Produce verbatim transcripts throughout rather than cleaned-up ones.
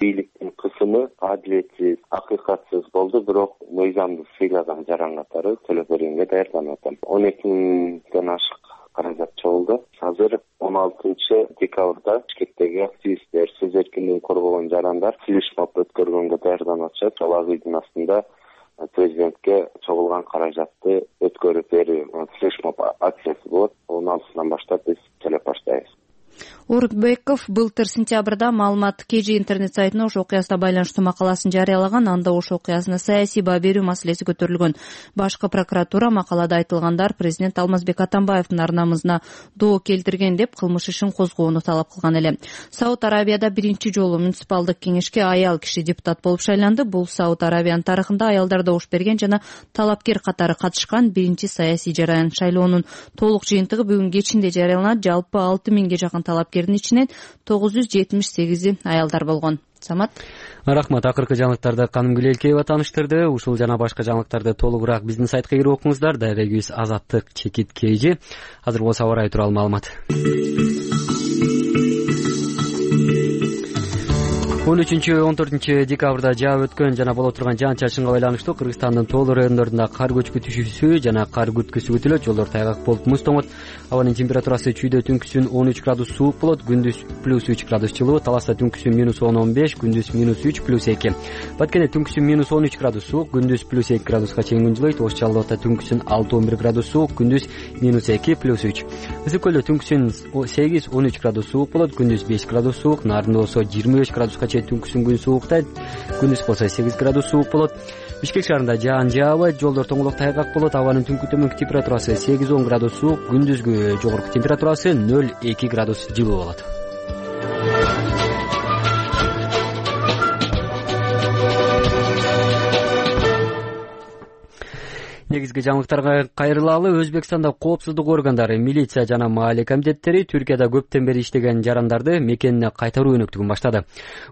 бийликтин кысымы адилетсиз, акыйкатсыз болду, бирок мыйзамды сыйлаган жаран катары төлөп бергенге даярданып атам. он эки миңден ашык каражат чогулду. Азыр он алтынчы декабрда Бишкектеги активисттер, сөз эркиндигин коргогон жарандар флешмоб өткөргөнгө даярданып атышат. Ал агыйдын астында президентке чогулган каражатты өткөрүп берүү флешмоб акциясы болот. он алтысынан баштап биз төлөп баштайбыз. Орунбеков былтыр сентябрда маалымат кей же интернет сайтына ош окуясына байланыштуу макаласын жарыялаган. Анда ош окуясына саясий баа берүү маселеси көтөрүлгөн. Башкы прокуратура макалада айтылгандар президент Алмазбек Атамбаевдин ар намысына доо келтирген деп кылмыш ишин козгоону талап кылган эле. Сауд Арабияда биринчи жолу муниципалдык кеңешке аял киши депутат болуп шайланды. Бул Сауд Арабиянын тарыхында аялдар добуш берген жана талапкер катары катышкан биринчи саясий жараян. Шайлоонун толук жыйынтыгы бүгүн кечинде жарыяланат. Жалпы алты миңге жакын талапкердин ичинен тогуз жүз жетимиш сегизи аялдар болгон. Самат. Рахмат. Акыркы жаңылыктарды Каным Гүлелкеева тааныштырды. Ушул жана башка жаңылыктарды толугураак биздин сайтка кирип окуңуздар. Дарегибиз Азаттык Чекит Кейжи. Азыр болсо аба ырайы тууралуу маалымат. он үчүнчү он төртүнчү декабрда жаап өткөн жана боло турган жаан-чачынга байланыштуу Кыргызстандын тоолуу райондорунда кар көчкү түшүүсү жана кар күткүсү күтүлөт. Жолдор тайгак болуп муз тоңот. Абанын температурасы чүйдө түнкүсүн он үч градус суук болот, күндүз плюс үч градус жылуу, Таласта түнкүсүн минус он он беш, күндүз минус үч плюс эки. Баткенде түнкүсүн минус он үч градус суук, күндүз плюс эки градуска чейин күн жылыйт. Ош Жалал Абадта түнкүсүн алты он бир градус суук, күндүз минус эки плюс үч. Ысык көлдө түнкүсүн сегиз он үч градус суук болот, күндүз беш градус суук, Нарында болсо жыйырма беш градуска чейин түнкүсүн күн сууктайт, күндүз болсо сегиз градус суук болот. Бишкек шаарында жаан жаабайт, жолдор тоңолок тайгак болот. Абанын түнкү төмөнкү температурасы сегиз он градус суук, күндүзгү жогорку температурасы нөл эки градус жылуу болот. Негизги жаңылыктарга кайрылалы. Өзбекстанда коопсуздук органдары, милиция жана маалия комитеттери Түркияда көптөн бери иштеген жарандарды мекенине кайтаруу өнөктүгүн баштады.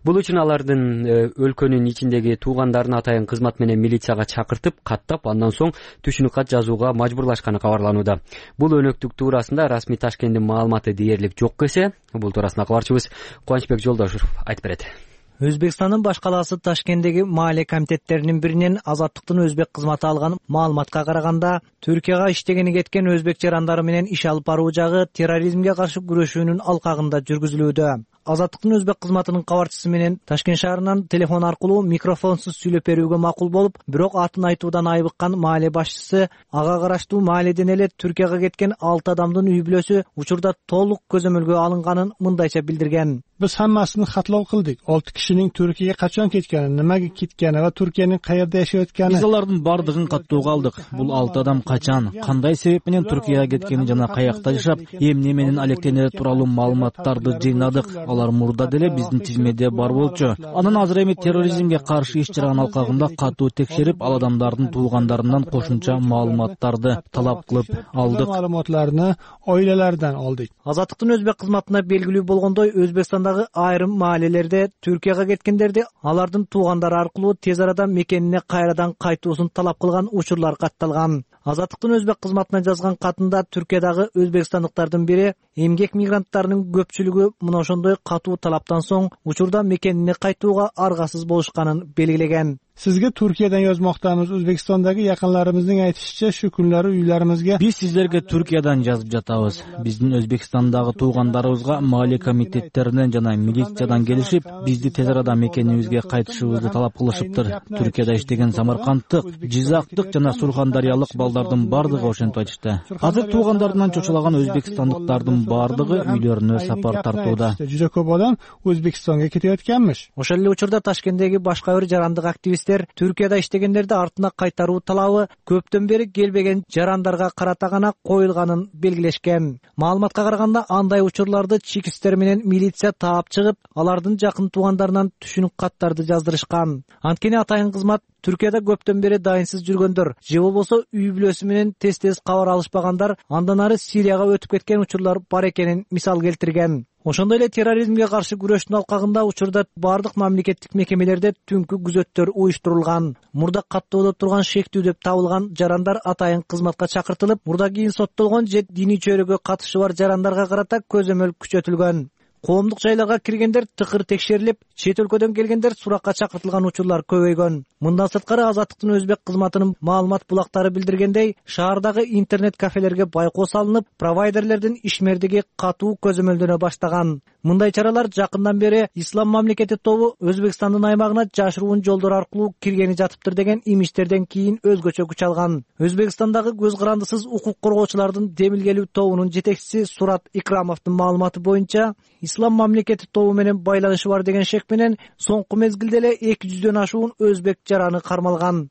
Бул үчүн алардын өлкөнүн ичиндеги туугандарын атайын кызмат менен милицияга чакыртып, каттап, андан соң түшүнүк кат жазууга мажбурлашканы кабарланууда. Бул өнөктүк туурасында расмий Ташкенттин маалыматы дээрлик жок эсе. Бул туурасында кабарчыбыз Кубанычбек Жолдошев айтып берет. Өзбекстандын баш калаасы Ташкенттеги маалия комитеттеринин биринен Азаттыктын өзбек кызматы алган маалыматка караганда, Түркияга иштегени кеткен өзбек жарандары менен иш алып баруу жагы терроризмге каршы күрөшүүнүн алкагында жүргүзүлүүдө. Азаттыктын өзбек кызматынын кабарчысы менен Ташкент шаарынан телефон аркылуу микрофонсуз сүйлөп берүүгө макул болуп, бирок атын айтуудан айбыккан маалия башчысы ага караштуу маалияден эле Түркияга кеткен алты адамдын үй бүлөсү учурда толук көзөмөлгө алынганын мындайча билдирген. Biz hammasini xatlov qildik. olti kishining Turkiyaga qachon ketgani, nimaga ketgani va Turkiyaning qayerda yashayotgani. Biz алардын бардыгын каттоого алдык. Бул алты адам качан, кандай себеп менен Түркияга кеткени жана каякта жашап, эмне менен алектенери тууралуу маалыматтарды жыйнадык. Алар мурда деле биздин тизмеде бар болчу. Анан азыр эми терроризмге каршы иш чаранын алкагында катуу текшерип, ал адамдардын туугандарынан кошумча маалыматтарды талап кылып алдык. Маалыматтарды oilalaridan oldik. Азаттыктын өзбек кызматына белгилүү болгондой, Өзбекстандагы айрым маалиялерде Түркияга кеткендерди алардын туугандары аркылуу тез арада мекенине кайрадан кайтуусун талап кылган учурлар катталган. Азаттыктын өзбек кызматына жазган катында Түркиядагы өзбекстандыктардын бири эмгек мигранттарынын көпчүлүгү мына ошондой катуу талаптан соң учурда мекенине кайтууга аргасыз болушканын белгилеген. Sizga Turkiyadan yozmoqdamiz. O'zbekistondagi yaqinlarimizning aytishicha, shu kunlari uylarimizga Biz sizlarga Turkiyadan жазып жатабыз. Биздин Өзбекстандагы туугандарыбызга маалия комитеттеринен жана милициядан келишип, бизди тез арада мекенибизге кайтышыбызды талап кылышыптыр. Түркияда иштеген самаркандтык, жизактык жана сурхандариялык балдардын бардыгы ошентип айтышты. Азыр туугандарынан чочулаган өзбекстандыктардын бардыгы үйлөрүнө сапар тартууда. Juda ko'p odam O'zbekistonga ketayotganmish. Ошол эле учурда Ташкенттеги башка бир жарандык активист Түркияда иштегендерди артына кайтаруу талабы көптөн бери келбеген жарандарга карата гана коюлганын белгилешкен. Маалыматка караганда, андай учурларды чекисттер менен милиция таап чыгып, алардын жакын туугандарынан түшүнүк каттарды жаздырышкан. Анткени атайын кызмат Түркияда көптөн бери дайынсыз жүргөндөр, же болбосо үй бүлөсү менен тез-тез кабар алышпагандар андан ары Сирияга өтүп кеткен учурлар бар экенин мисал келтирген. Ошондой эле терроризмге каршы күрөштүн алкагында учурда бардык мамлекеттик мекемелерде түнкү күзөттөр уюштурулган. Мурда каттоодо турган шектүү деп табылган жарандар атайын кызматка чакыртылып, мурда кийин соттолгон же диний чөйрөгө катышы бар жарандарга карата көзөмөл күчөтүлгөн. Коомдук жайларга киргендер тыкыр текшерилип, чет өлкөдөн келгендер суракка чакыртылган учурлар көбөйгөн. Мындан сырткары Азаттыктын өзбек кызматынын маалымат булактары билдиргендей, шаардагы интернет кафелерге байкоо салынып, провайдерлердин ишмердиги катуу көзөмөлдөнө баштаган. Мындай чаралар жакындан бери Ислам мамлекети тобу Өзбекстандын аймагына жашыруун жолдор аркылуу киргени жатыптыр деген имичтерден кийин өзгөчө күч алган. Өзбекстандагы көз карандысыз укук коргоочулардын демилгелүү тобунун жетекчиси Сурат Икрамовдун маалыматы боюнча, Ислам мамлекети тобу менен байланышы бар деген шек менен соңку мезгилде эле эки жүздөн ашуун өзбек жараны кармалган.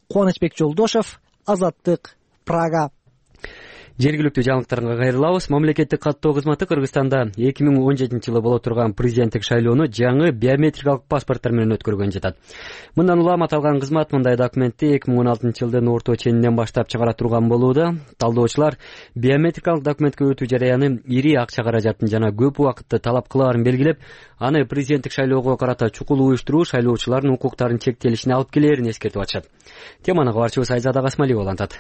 Кубанычбек Жолдошев, Азаттык, Прага. Жергиликтүү жаңылыктарга кайрылабыз. Мамлекеттик каттоо кызматы Кыргызстанда эки миң он жетинчи жылы боло турган президенттик шайлоону жаңы биометрикалык паспорттор менен өткөргөн жатат. Мындан улам аталган кызмат мындай документти эки миң он алтынчы жылдын орто ченинен баштап чыгара турган болууда. Талдоочулар биометрикалык документке өтүү жараяны ири акча каражатын жана көп убакытты талап кылаарын белгилеп, аны президенттик шайлоого карата чукул уюштуруу шайлоочулардын укуктарынын чектелишине алып келээрин эскертип атышат. Теманы кабарчыбыз Айзада Касмалиева улантат.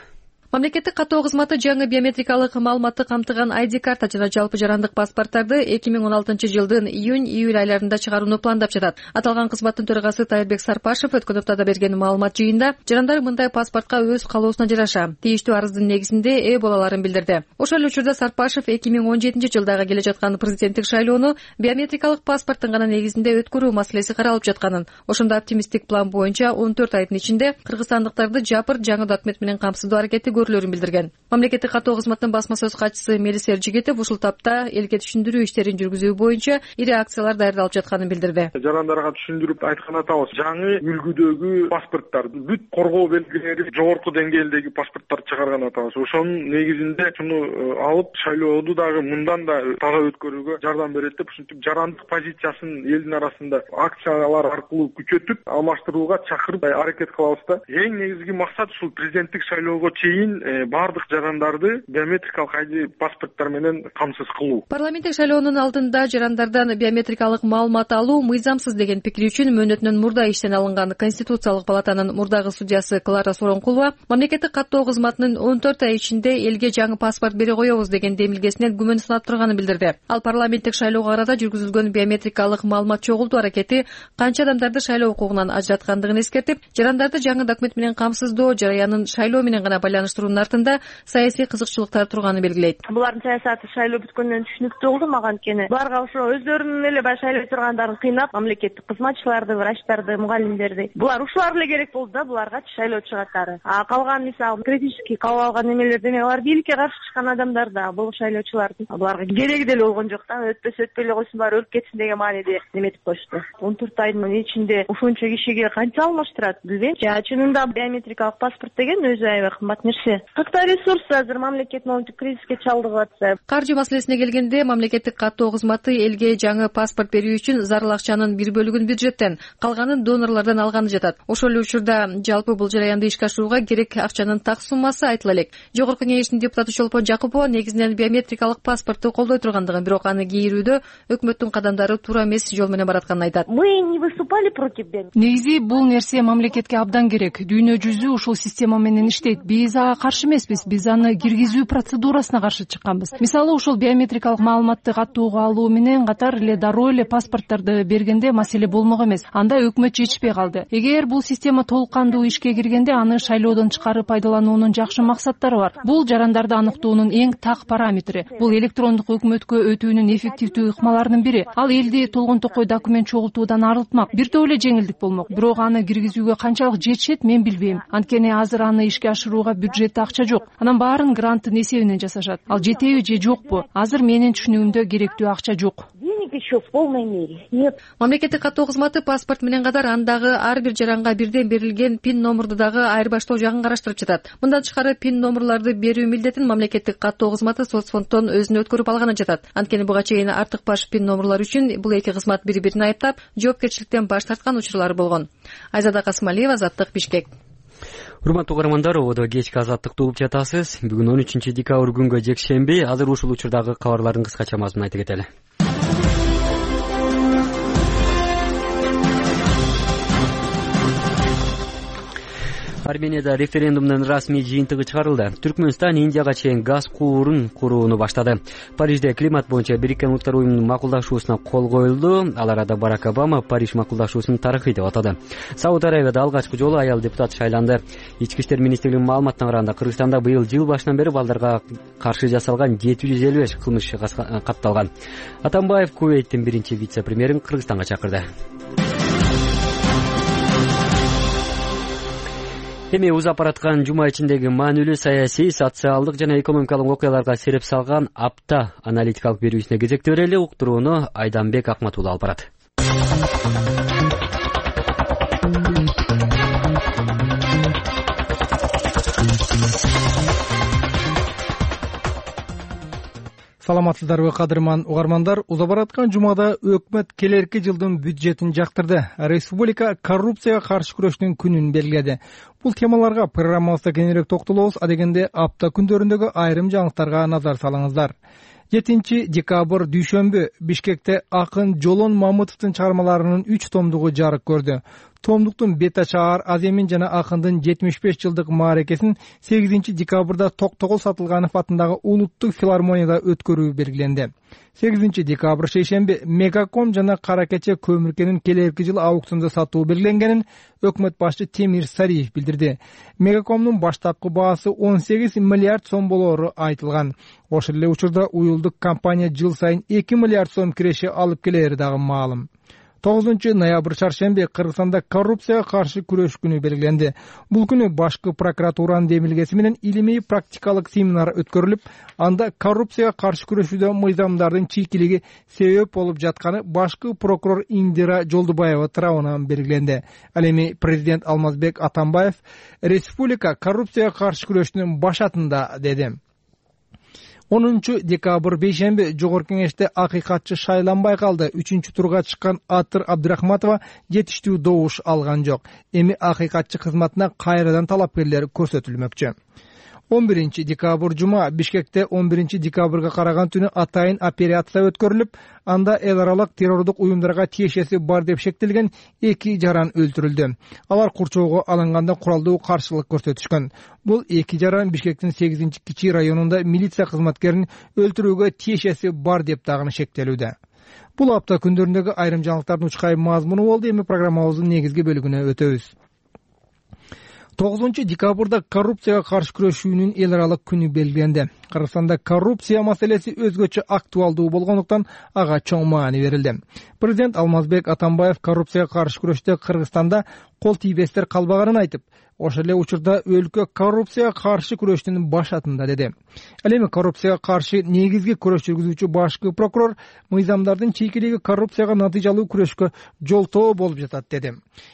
Мамлекеттик каттоо кызматы жаңы биометрикалык маалыматты камтыган ай ди карта жана жалпы жарандык паспорттарды эки миң он алтынчы жылдын июнь-июль айларында чыгарууну пландап жатат. Аталган кызматтын төрагасы Тайырбек Сарпашев өткөн аптада берген маалымат жыйында жарандар мындай паспортко өз калоосуна жараша тийиштүү арыздын негизинде ээ боло аларын билдирди. Ошол эле учурда Сарпашев эки миң он жетинчи жылдагы келе жаткан президенттик шайлоону биометрикалык паспорттун гана негизинде өткөрүү маселеси каралып жатканын, ошондо оптимисттик план боюнча он төрт айдын ичинде кыргызстандыктарды жапыр жаңы документ менен камсыздоо аракети көрүлөрүн билдирген. Мамлекеттик каттоо кызматынын басма сөз катчысы Мелис Эржигетов ушул тапта элге түшүндүрүү иштерин жүргүзүү боюнча ири акциялар даярдалып жатканын билдирди. Жарандарга түшүндүрүп айткан атабыз, жаңы үлгүдөгү паспорттор, бүт коргоо белгилери жогорку деңгээлдеги паспорттор чыгарган атабыз. Ошонун негизинде шуну алып шайлооду дагы мындан да таза өткөрүүгө жардам берет деп ушинтип жарандык позициясын элдин арасында акциялар аркылуу күчөтүп алмаштырууга чакырып аракет кылабыз да. Эң негизги максат ушул президенттик шайлоого чейин бардык жарандарды биометрикалык ай ди паспорттор менен камсыз кылуу. Парламенттик шайлоонун алдында жарандардан биометрикалык маалымат алуу мыйзамсыз деген пикири үчүн мөөнөтүнөн мурда иштен алынган Конституциялык палатанын мурдагы судьясы Клара Соронкулова мамлекеттик каттоо кызматынын он төрт ай ичинде элге жаңы паспорт бере коебуз деген демилгесинен күмөн санап турганын билдирди. Ал парламенттик шайлоого карата жүргүзүлгөн биометрикалык маалымат чогултуу аракети канча адамдарды шайлоо укугунан ажыраткандыгын эскертип, жарандарды жаңы документ менен камсыздоо жараянын шайлоо менен гана байланыштыруунун артында саясий кызыкчылыктар турганын белгилейт. Булардын саясаты шайлоо бүткөндөн түшүнүктүү болду мага, анткени буларга ошо өздөрүнүн эле баягы шайлой тургандарын кыйнап, мамлекеттик кызматчыларды, врачтарды, мугалимдерди, булар ушулар эле керек болду да, буларга шайлоочу катары. А калган мисалы критический кабыл алган эмелер деме, алар бийликке каршы чыккан адамдар да, бул шайлоочулардын буларга кереги деле болгон жок да, өтпөсө өтпөй эле койсун, баары өлүп кетсин деген мааниде неметип коюшту. он төрт айдын ичинде ушунча кишиге канча алмаштырат билбейм. Жа чынында биометрикалык паспорт деген өзү аябай кымбат нерсе. Кыркта ресурс азыр мамлекет моунтип кризиске чалдыгып атса. Каржы маселесине келгенде мамлекеттик каттоо кызматы элге жаңы паспорт берүү үчүн зарыл акчанын бир бөлүгүн бюджеттен, калганын донорлордон алганы жатат. Ошол эле учурда жалпы бул жараянды ишке ашырууга керек акчанын так суммасы айтыла элек. Жогорку кеңештин депутаты Чолпон Жакупова негизинен биометрикалык паспортту колдой тургандыгын, бирок аны кийрүүдө өкмөттүн кадамдары туура эмес жол менен баратканын айтат. Мы не выступали против бен. Негизи бул нерсе мамлекетке абдан керек. Дүйнө жүзү ушул система менен иштейт. Биз ага каршы эмеспиз. Биз аны киргизүү процедурасына каршы чыкканбыз. Мисалы, ушул биометрикалык маалыматты каттоого алуу менен катар эле дароо эле паспортторду бергенде маселе болмок эмес. Анда өкмөт чечишпей калды. Эгер бул система толук кандуу ишке киргенде, аны шайлоодон чыгарып пайдалануунун жакшы максаттары бар. Бул жарандарды аныктоонун эң так параметри. Бул электрондук өкмөткө өтүүнүн эффективдүү ыкмаларынын бири. Ал элди толгон токой документ чогултуудан арылтмак. Бир топ эле жеңилдик болмок. Бирок аны киргизүүгө канчалык жетишет мен билбейм. Анткени азыр аны ишке ашырууга бюджетте акча жок. Анан баарын гранттын эсебинен жасашат. Ал жетеби же жокпу? Азыр менин түшүнүгүмдө керектүү акча жок. Еще в полной мере. Нет. Мамлекеттик каттоо кызматы паспорт менен катар андагы ар бир жаранга бирден берилген пин номурду дагы айырбаштоо жагын караштырып жатат. Мындан тышкары пин номурларды берүү милдетин мамлекеттик каттоо кызматы соцфонддон өзүнө өткөрүп алганы жатат. Анткени буга чейин артык баш пин номурлар үчүн бул эки кызмат бири-бирин айыптап, жоопкерчиликтен баш тарткан учурлары болгон. Айзада Касмалиева, Азаттык, Бишкек. Урматтуу угармандар, ободо кечки Азаттыкты угуп жатасыз. Бүгүн он үчүнчү декабрь күнгө жекшемби. Азыр ушул учурдагы кабарлардын кыскача мазмунун айтып кетели. Арменияда референдумдун расмий жыйынтыгы чыгарылды. Түркмөнстан Индияга чейин газ куурун курууну баштады. Парижде климат боюнча Бириккен Улуттар уюмунун макулдашуусуна кол коюлду. Ал арада Барак Обама Париж макулдашуусун тарыхый деп атады. Сауд Арабияда алгачкы жолу аял депутат шайланды. Ички иштер министрлигинин маалыматына караганда, Кыргызстанда быйыл жыл башынан бери балдарга каршы жасалган жети жүз элүү беш кылмыш катталган. Атамбаев Кувейттин биринчи вице-премьерин Кыргызстанга чакырды. Эми узап бараткан жума ичиндеги маанилүү саясий, социалдык жана экономикалык окуяларга сереп салган апта аналитикалык берүүсүнө кезекти берели. Уктурууну Айданбек Акматулла алып барат. Саламатсыздарбы, кадырман угармандар? Узап бараткан жумада өкмөт келерки жылдын бюджетин жактырды. Республика коррупцияга каршы күрөштүн күнүн белгиледи. Бул темаларга программабызда кененирээк токтолобуз. Адегенде апта күндөрүндөгү айрым жаңылыктарга назар салыңыздар. жетинчи декабрь дүйшөмбү Бишкекте акын Жолон Мамытовдун чыгармаларынын үч томдугу жарык көрдү. Томдуктун бет ачаар Аземин жана акындын жетимиш беш жылдык мааракесин сегизинчи декабрда Токтогул Сатылганов атындагы Улуттук филармонияда өткөрүү белгиленди. сегизинчи декабрь шейшемби Мегаком жана Кара Кече көмүркенин келерки жыл аукциондо сатуу белгиленгенин өкмөт башчы Темир Сариев билдирди. Мегакомдун баштапкы баасы он сегиз миллиард сом болоору айтылган. Ошол эле учурда уюлдук компания жыл сайын эки миллиард сом киреше алып келери дагы маалым. тогузунчу ноябрь чаршемби Кыргызстанда коррупцияга каршы күрөш күнү белгиленди. Бул күнү башкы прокуратуранын демилгеси менен илимий практикалык семинар өткөрүлүп, анда коррупцияга каршы күрөшүүдө мыйзамдардын чийкилиги себеп болуп жатканы башкы прокурор Индира Жолдубаева тарабынан белгиленди. Ал эми президент Алмазбек Атамбаев республика коррупцияга каршы күрөштүн башатында деди. онунчу декабрь бейшемби Жогорку Кеңеште акыйкатчы шайланбай калды. Үчүнчү турга чыккан Атыр Абдрахматова жетиштүү добуш алган жок. Эми акыйкатчы кызматына кайрадан талапкерлер көрсөтүлмөкчү. он биринчи декабрь жума Бишкекте он биринчи декабрга караган түнү атайын операция өткөрүлүп, анда эл аралык террордук уюмдарга тиешеси бар деп шектелген эки жаран өлтүрүлдү. Алар курчоого алынганда куралдуу каршылык көрсөтүшкөн. Бул эки жаран Бишкектин сегизинчи кичи районунда милиция кызматкерин өлтүрүүгө тиешеси бар деп дагы шектелүүдө. Бул апта күндөрүндөгү айрым жаңылыктардын учкай мазмуну болду. Эми программабыздын негизги бөлүгүнө өтөбүз. тогузунчу декабрда коррупцияга каршы күрөшүүнүн эл аралык күнү белгиленди. Кыргызстанда коррупция маселеси өзгөчө актуалдуу болгондуктан ага чоң маани берилди. Президент Алмазбек Атамбаев коррупцияга каршы күрөштө Кыргызстанда кол тийбестер калбаганын айтып, ошол эле учурда өлкө коррупцияга каршы күрөштүн башатында деди. Ал эми коррупцияга каршы негизги күрөш жүргүзүүчү башкы прокурор мыйзамдардын чийкилиги коррупцияга натыйжалуу күрөшкө жолтоо болуп жатат деди.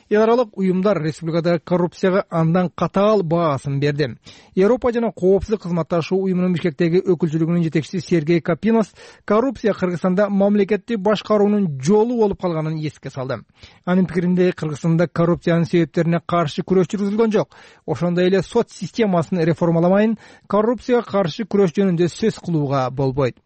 Эл аралык уюмдар республикадагы коррупцияга андан катаал баасын берди. Европа жана коопсуздук кызматташуу уюмунун Бишкектеги өкүлчүлүгүнүн жетекчиси Сергей Капинос коррупция Кыргызстанда мамлекетти башкаруунун жолу болуп калганын эске салды. Анын пикиринде Кыргызстанда коррупциянын себептерине каршы күрөш жүргүзүлгөн жок. Ошондой эле сот системасын реформаламайын коррупцияга каршы күрөш жөнүндө сөз кылууга болбойт.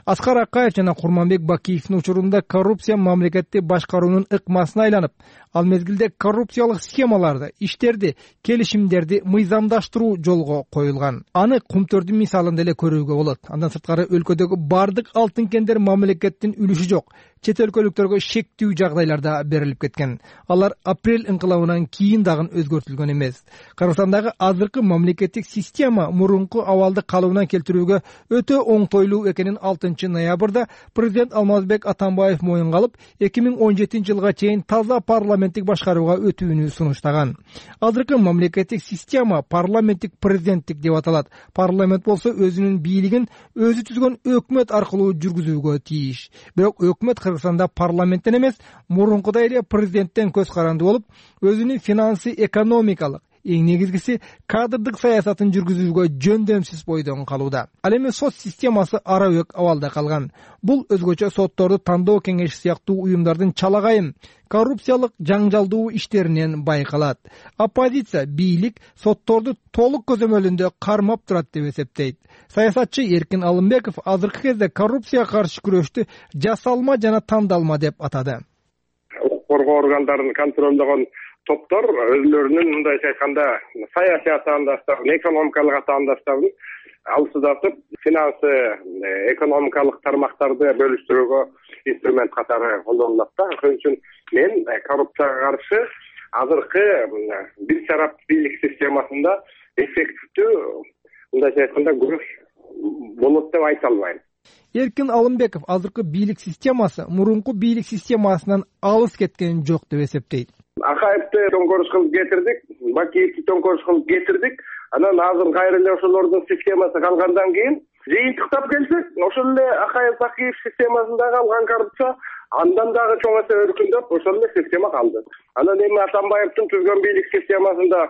Аскар Акаев жана Курманбек Бакиевдин учурунда коррупция мамлекетти башкаруунун ыкмасына айланып, ал мезгилде коррупциялык схемаларды, иштерди, келишимдерди мыйзамдаштыруу жолго коюлган. Аны Кумтөрдүн мисалында эле көрүүгө болот. Андан сырткары өлкөдөгү бардык алтын кендер мамлекеттин үлүшү жок. Чет өлкөлүктөргө шектүү жагдайларда берилип кеткен. Алар апрель инкылабынан кийин дагы өзгөртүлгөн эмес. Кыргызстандагы азыркы мамлекеттик система мурунку абалды калыбына келтирүүгө өтө оңтойлуу экенин алтынчы ноябрда президент Алмазбек Атамбаев моюнга алып, эки миң он жетинчи жылга чейин таза парламенттик башкарууга өтүүнү сунуштаган. Азыркы мамлекеттик система парламенттик президенттик деп аталат. Парламент болсо өзүнүн бийлигин өзү түзгөн өкмөт аркылуу жүргүзүүгө тийиш. Бирок өкмөт Кыргызстанда парламенттен эмес, мурункудай эле президенттен көз каранды болуп, өзүнүн финансы экономикалык, эң негизгиси кадрдык саясатын жүргүзүүгө жөндөмсүз бойдон калууда. Ал эми сот системасы арабөк абалда калган. Бул өзгөчө сотторду тандоо кеңеши сыяктуу уюмдардын чалагайым, коррупциялык жаңжалдуу иштеринен байкалат. Оппозиция бийлик сотторду толук көзөмөлүндө кармап турат деп эсептейт. Саясатчы Эркин Алымбеков азыркы кезде коррупцияга каршы күрөштү жасалма жана тандалма деп атады. укук коргоо органдарын контролдогон топтор өзлөрүнүн мындайча айтканда саясий атаандаштарын, экономикалык атаандаштарын алсыздатып, финансы, экономикалык тармактарды бөлүштүрүүгө инструмент катары колдонулат да. Ошон үчүн мен коррупцияга каршы азыркы бир тарап бийлик системасында эффективдүү, мындайча айтканда, күрөш болот деп айта албайм. Эркин Алымбеков азыркы бийлик системасы мурунку бийлик системасынан алыс кеткен жок деп эсептейт. Акаевди төңкөрүш кылып кетирдик, Бакиевди төңкөрүш кылып кетирдик. Анан азыр кайра эле ошолордун системасы калгандан кийин жыйынтыктап келсек, ошол эле Акаев Бакиев системасында калган коррупция андан дагы чоң эсе өркүндөп, ошол эле система калды. Анан эми Атамбаевдин түзгөн бийлик системасында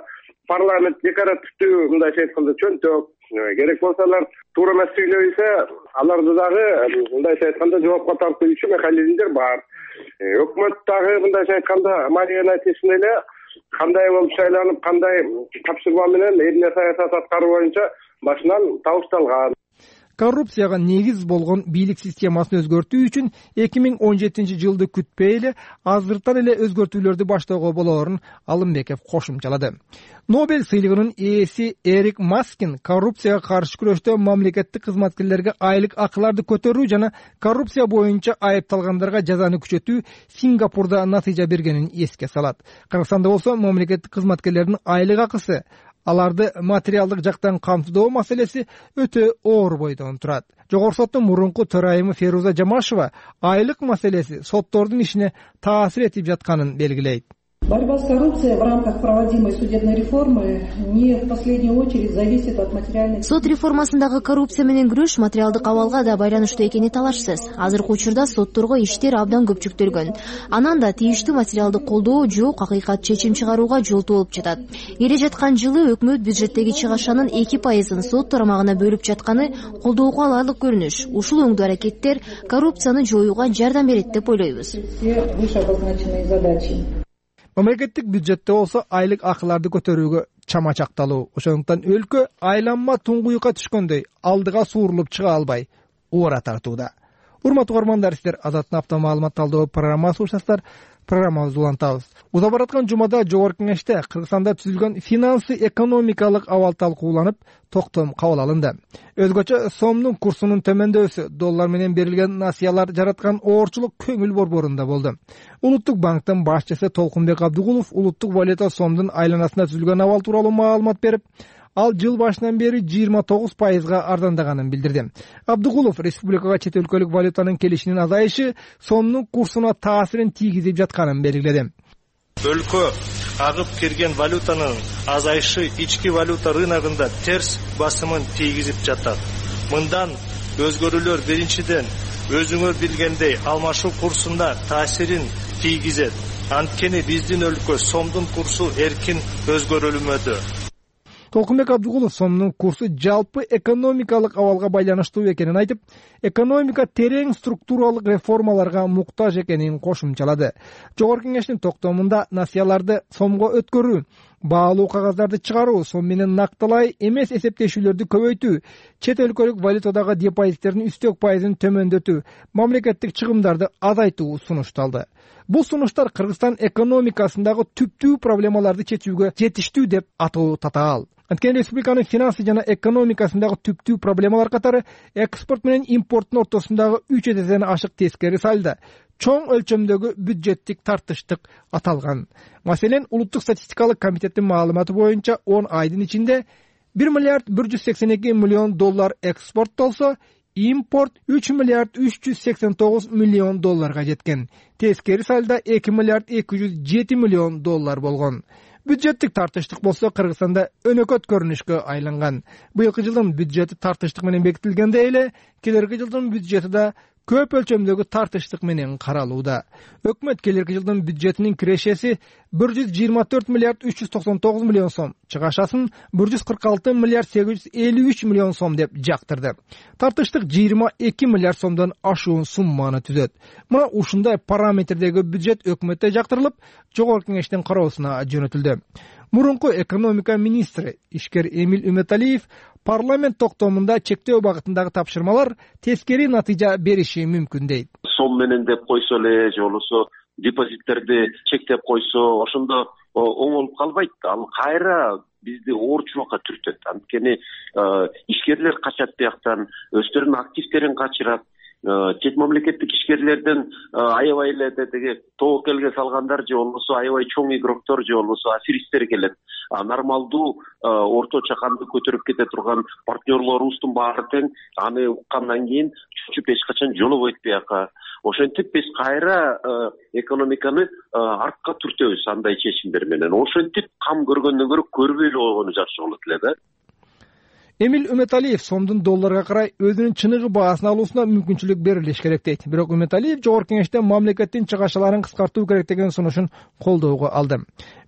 парламент декоративдүү, мындайча айтканда, чөнтөк, керек болсо алар туура эмес сүйлөбөйсө, аларды дагы мындайча айтканда жоопко тартуучу механизмдер бар. Өкмөт дагы мындайча айтканда марионетисин эле кандай болуп шайланып, кандай тапшырма менен эмне саясат аткаруу боюнча башынан табышталган. Коррупцияга негиз болгон бийлик системасын өзгөртүү үчүн эки миң он жетинчи жылды күтпөй эле азыртан эле өзгөртүүлөрдү баштоого болоорун Алымбеков кошумчалады. Нобель сыйлыгынын ээси Эрик Маскин коррупцияга каршы күрөштө мамлекеттик кызматкерлерге айлык акыларды көтөрүү жана коррупция боюнча айыпталгандарга жазаны күчөтүү Сингапурда натыйжа бергенин эске салат. Кыргызстанда болсо мамлекеттик кызматкерлердин айлык акысы, аларды материалдык жактан камтыдоо маселеси өтө оор бойдон турат. Жогорку соттун мурунку төрайымы Феруза Жамашева айлык маселеси соттордун ишине таасир этип жатканын белгилейт. Борьба с коррупцией в рамках проводимой судебной реформы не в последнюю очередь зависит от материальной... Сот реформасындагы коррупция менен күрөш материалдык абалга да байланыштуу экени талашсыз. Азыркы учурда сотторго иштер абдан көп жүктөлгөн. Анан да тийиштүү материалдык колдоо жок, акыйкат чечим чыгарууга жол болуп жатат. Келе жаткан жылы өкмөт бюджеттеги чыгашанын эки пайызын сот тарамагына бөлүп жатканы колдоого аларлык көрүнүш. Ушул өңдүү аракеттер коррупцияны жоюуга жардам берет деп ойлойбуз. Мамлекеттик бюджетте болсо айлык акыларды көтөрүүгө чама чакталуу. Ошондуктан өлкө айланма туңгуюкка түшкөндөй алдыга суурулуп чыга албай убара тартууда. Урматтуу угармандар, сиздер Азаттын апта маалымат талдоо программасы угушасыздар. Программабызды улантабыз. Уза бараткан жумада Жогорку Кеңеште Кыргызстанда түзүлгөн финансы экономикалык абал талкууланып, токтом кабыл алынды. Өзгөчө сомдун курсунун төмөндөсү, доллар менен берилген насыялар жараткан оорчулук көңүл борборунда болду. Улуттук банктын башчысы Толкунбек Абдыгулов улуттук валюта сомдун айланасында түзүлгөн абал тууралуу маалымат берип, ал жыл башынан бери жыйырма тогуз пайызга арзандаганын билдирди. Абдыгулов республикага чет өлкөлүк валютанын келишинин азайышы сомдун курсуна таасирин тийгизип жатканын белгиледи. Өлкө агып кирген валютанын азайышы ички валюта рыногунда терс басымын тийгизип жатат. Мындан өзгөрүүлөр биринчиден өзүңөр билгендей алмашуу курсунда таасирин тийгизет. Анткени биздин өлкө сомдун курсу эркин өзгөрүлмөдү. Толкунбек Абдыгулов сомдун курсу жалпы экономикалык абалга байланыштуу экенин айтып, экономика терең структуралык реформаларга муктаж экенин кошумчалады. Жогорку Кеңештин токтомунда насыяларды сомго өткөрүү, баалуу кагаздарды чыгаруу, сом менен накталай эмес эсептешүүлөрдү көбөйтүү, чет өлкөлүк валютадагы депозиттердин үстөк пайызын төмөндөтүү, мамлекеттик чыгымдарды азайтуу сунушталды. Бул сунуштар Кыргызстан экономикасындагы түптүү проблемаларды чечүүгө жетиштүү деп атоо татаал. Анткени республиканын финансы жана экономикасындагы түптүү проблемалар катары экспорт менен импорттун ортосундагы үч эседен ашык тескери сальдо, чоң өлчөмдөгү бюджеттик тартыштык аталган. Маселен, Улуттук статистикалык комитеттин маалыматы боюнча он айдын ичинде бир миллиард бир жүз сексен эки миллион доллар экспорттолсо, импорт үч миллиард үч жүз сексен тогуз миллион долларга жеткен. Тескери сальдо эки миллиард эки жүз жети миллион доллар болгон. Бюджеттик тартыштык болсо Кыргызстанда өнөкөт көрүнүшкө айланган. Быйылкы жылдын бюджети тартыштык менен бекитилгенде эле, келерки жылдын бюджети да көп өлчөмдөгү тартыштык менен каралууда. Өкмөт келерки жылдын бюджетинин кирешеси бир жүз жыйырма төрт миллиард үч жүз токсон тогуз миллион сом, чыгашасын бир жүз кырк алты миллиард сегиз жүз элүү үч миллион сом деп жактырды. Тартыштык жыйырма эки миллиард сомдон ашуун сумманы түзөт. Мына ушундай параметрдеги бюджет өкмөттө жактырылып, Жогорку Кеңештин кароосуна жөнөтүлдү. Мурунку экономика министри ишкер Эмил Үмөталиев парламент токтомунда чектөө багытындагы тапшырмалар тескери натыйжа бериши мүмкүн дейт. Сом менен деп койсо эле, же болбосо депозиттерди чектеп койсо ошондо оңолуп калбайт. Ал кайра бизди оорчулукка түртөт. Анткени ишкерлер качат бияктан, өздөрүнүн активдерин качырат. Чет мамлекеттик ишкерлерден аябай эле теги тобокелге салгандар же болбосо аябай чоң игроктор же болбосо аферисттер келет. Нормалдуу орто чаканды көтөрүп кете турган партнерлорубуздун баары тең аны уккандан кийин чучуп эч качан жолобойт бияка. Ошентип биз кайра экономиканы артка түртөбүз андай чечимдер менен. Ошентип кам көргөндөн көрө көрбөй эле койгону жакшы болот эле да. Эмил Үмөталиев сомдун долларга карай өзүнүн чыныгы баасын алуусуна мүмкүнчүлүк берилиш керек дейт. Бирок Үмөталиев жогорку кеңеште мамлекеттин чыгашаларын кыскартуу керек деген сунушун колдоого алды.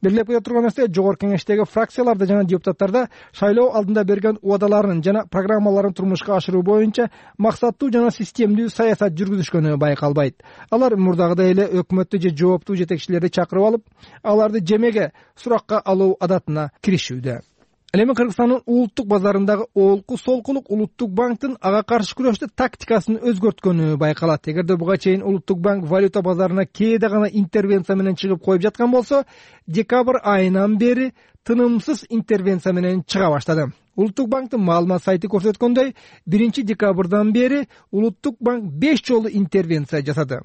Белгилеп кете турган нерсе, жогорку кеңештеги фракцияларда жана депутаттарда шайлоо алдында берген убадаларын жана программаларын турмушка ашыруу боюнча максаттуу жана системдүү саясат жүргүзүшкөнү байкалбайт. Алар мурдагыдай эле өкмөттү же жооптуу жетекчилерди чакырып алып, аларды жемеге суракка алуу адатына киришүүдө. Ал эми Кыргызстандын улуттук базарындагы олку солкулук Улуттук банктын ага каршы күрөштө тактикасын өзгөрткөнү байкалат. Эгерде буга чейин Улуттук банк валюта базарына кээде гана интервенция менен чыгып коюп жаткан болсо, декабрь айынан бери тынымсыз интервенция менен чыга баштады. Улуттук банктын маалымат сайты көрсөткөндөй, биринчи декабрдан бери Улуттук банк беш жолу интервенция жасады.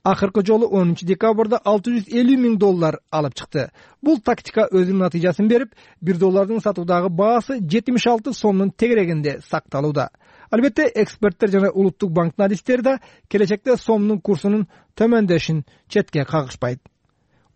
Акыркы жолу онунчу декабрда алты жүз элүү миң доллар алып чыкты. Бул тактика өзүнүн натыйжасын берип, бир доллардын сатуудагы баасы жетимиш алты сомдун тегерегинде сакталууда. Албетте, эксперттер жана Улуттук банктын адистери да келечекте сомдун курсунун төмөндөшүн четке кагышпайт.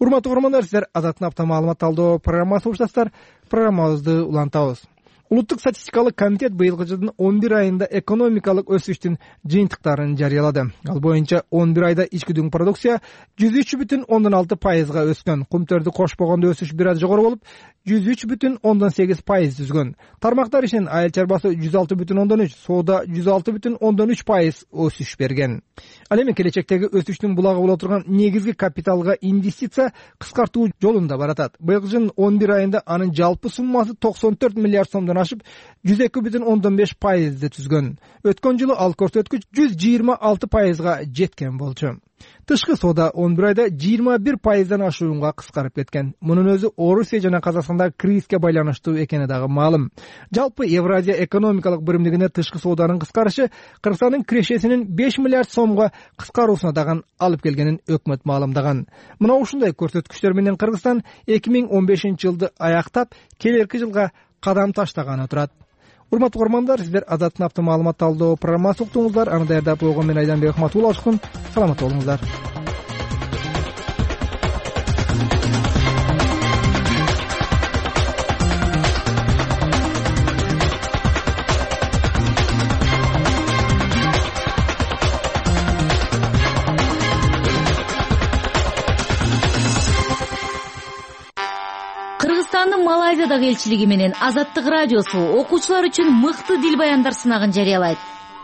Урматтуу угармандар, сиздер Азаттын апта маалымат талдоо программасын угушасыздар. Программабызды улантабыз. Улуттук статистикалык комитет быйылкы жылдын он бир айында экономикалык өсүштүн жыйынтыктарын жарыялады. Ал боюнча он бир айда ички дүң продукция жүз үч бүтүн ондон алты пайызга өскөн. Кумтөрдү кошпогондо өсүш бир аз жогору болуп, жүз үч бүтүн ондон сегиз пайыз түзгөн. Тармактар ишинин айыл чарбасы жүз алты бүтүн ондон үч, соода жүз алты бүтүн ондон үч пайыз өсүш берген. Ал эми келечектеги өсүштүн булагы боло турган негизги капиталга инвестиция кыскартуу жолунда баратат. Быйылкы жылдын он бир айында анын жалпы суммасы токсон төрт миллиард сомдон ашып, жүз эки бүтүн ондон беш пайызды түзгөн. Өткөн жылы ал көрсөткүч жүз жыйырма алты пайызга жеткен болчу. Тышкы соода он бир айда жыйырма бир пайыздан ашуунга кыскарып кеткен. Мунун өзү Орусия жана Казакстандагы кризиске байланыштуу экени дагы маалым. Жалпы Евразия экономикалык биримдигине тышкы сооданын кыскарышы Кыргызстандын кирешесинин беш миллиард сомго кыскаруусуна дагы алып келгенин өкмөт маалымдаган. Мына ушундай көрсөткүчтөр менен Кыргызстан эки миң он бешинчи жылды аяктап, келерки жылга кадам таштаганы турат. Урматтуу угармандар, сиздер Азаттын апта маалымат талдоо программасын уктуңуздар. Аны даярдап койгон мен Айданбек Ахматулла Ашкун. Саламат болуңуздар. Кыргызстандын Малайзиядагы элчилиги менен Азаттык радиосу окуучулар үчүн мыкты дил баяндар сынагын жарыялайт.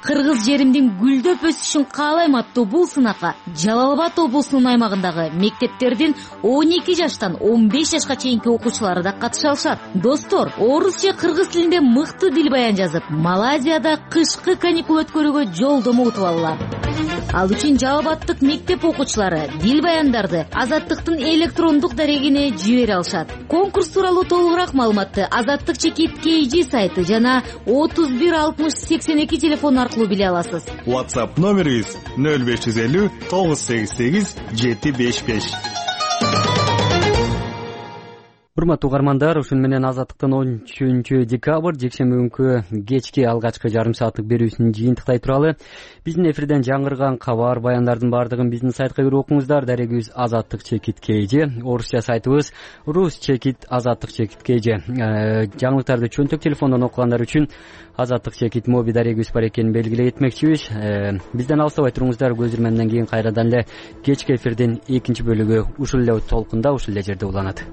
Кыргыз жеримдин гүлдөп өсүшүн каалайм аттуу бул сынакка Жалал Абад облусунун аймагындагы мектептердин он эки жаштан он беш жашка чейинки окуучулары да катыша алышат. Достор, орус же кыргыз тилинде мыкты дил баян жазып, Малайзияда кышкы каникул өткөрүүгө жолдомо утуп алалар. Ал үчүн Жалал Абадтык мектеп окуучулары дил баяндарды Азаттыктын электрондук дарегине жибере алышат. Конкурс тууралуу толугураак маалыматты Азаттык чекит кей джи сайты жана отуз бир алтымыш сексен эки телефон аркылуу биле аласыз. WhatsApp номерибиз нөл беш жүз элүү тогуз сегиз сегиз жети беш беш. Урматтуу угармандар, ушун менен Азаттыктын он үчүнчү декабрь жекшемби күнкү кечки алгачкы жарым сааттык берүүсүн жыйынтыктай туралы биздин эфирден жаңырган кабар баяндардын баардыгын биздин сайтка кирип окуңуздар. Дарегибиз Азаттык чекит кей джи, орусча сайтыбыз Рус чекит Азаттык чекит кей джи. Жаңылыктарды чөнтөк телефондон окугандар үчүн Азаттык чекит моби дарегибиз бар экенин белгилей этмекчибиз. Бизден алыстабай туруңуздар. Көзүрмөндөн кийин кайрадан эле кечки эфирдин экинчи бөлүгү ушул эле толкунда, ушул эле жерде уланат.